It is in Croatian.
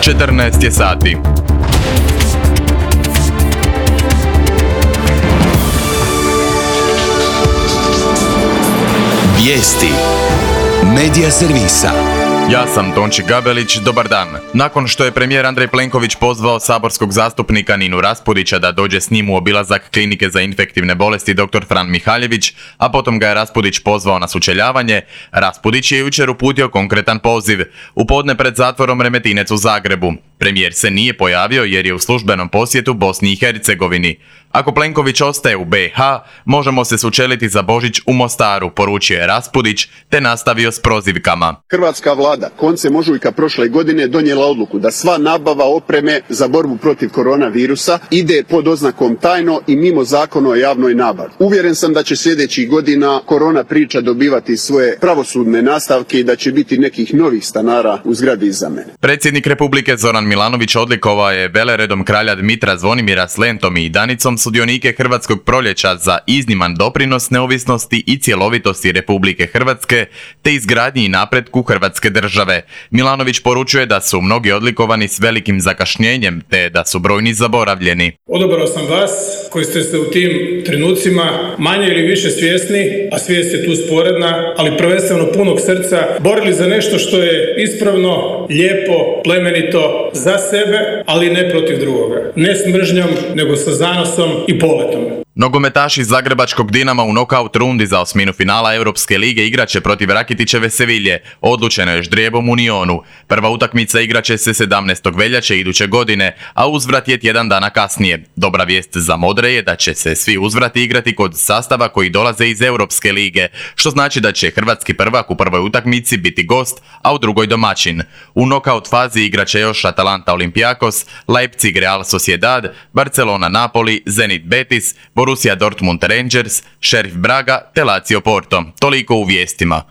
14 je sati. Vijesti Medija servisa. Ja sam Tonči Gabelić, dobar dan. Nakon što je premijer Andrej Plenković pozvao saborskog zastupnika Ninu Raspudića da dođe s njim u obilazak klinike za infektivne bolesti dr. Fran Mihaljević, a potom ga je Raspudić pozvao na sučeljavanje, Raspudić je jučer uputio konkretan poziv. U podne pred zatvorom Remetinec u Zagrebu. Premijer se nije pojavio jer je u službenom posjetu Bosni i Hercegovini. Ako Plenković ostaje u BiH, možemo se sučeliti za Božić u Mostaru, poručio je Raspudić, te nastavio s prozivkama. Hrvatska vlada koncem ožujka prošle godine donijela odluku da sva nabava opreme za borbu protiv koronavirusa ide pod oznakom tajno i mimo zakona o javnoj nabavi. Uvjeren sam da će sljedećih godina korona priča dobivati svoje pravosudne nastavke i da će biti nekih novih stanara u zgradi iza mene. Predsjednik Republike Zoran Milanović odlikovao je veleredom kralja Dmitra Zvonimira s lentom i danicom sudionike Hrvatskog proljeća za izniman doprinos neovisnosti i cjelovitosti Republike Hrvatske te izgradnji i napretku Hrvatske države. Milanović poručuje da su mnogi odlikovani s velikim zakašnjenjem te da su brojni zaboravljeni. Odabrao sam vas koji ste se u tim trenucima manje ili više svjesni, a svijest je tu sporedna, ali prvenstveno punog srca, borili za nešto što je ispravno, lijepo, plemenito, za sebe, ali ne protiv drugoga. Ne s mržnjom, nego sa zanosom i poletom. Nogometaši Zagrebačkog Dinama u nokaut rundi za osminu finala Europske lige igraće protiv Rakitićeve Sevilje, odlučeno je ždrijebom u Nionu. Prva utakmica igraće se 17. veljače iduće godine, a uzvrat je tjedan dana kasnije. Dobra vijest za modre je da će se svi uzvrati igrati kod sastava koji dolaze iz Europske lige, što znači da će hrvatski prvak u prvoj utakmici biti gost, a u drugoj domaćin. U nokaut fazi igraće još Atalanta Olympiakos, Leipzig Real Sociedad, Barcelona Napoli, Zenit Betis, Borussia Dortmund Rangers, Sheriff Braga te Lazio Porto. Toliko u vijestima.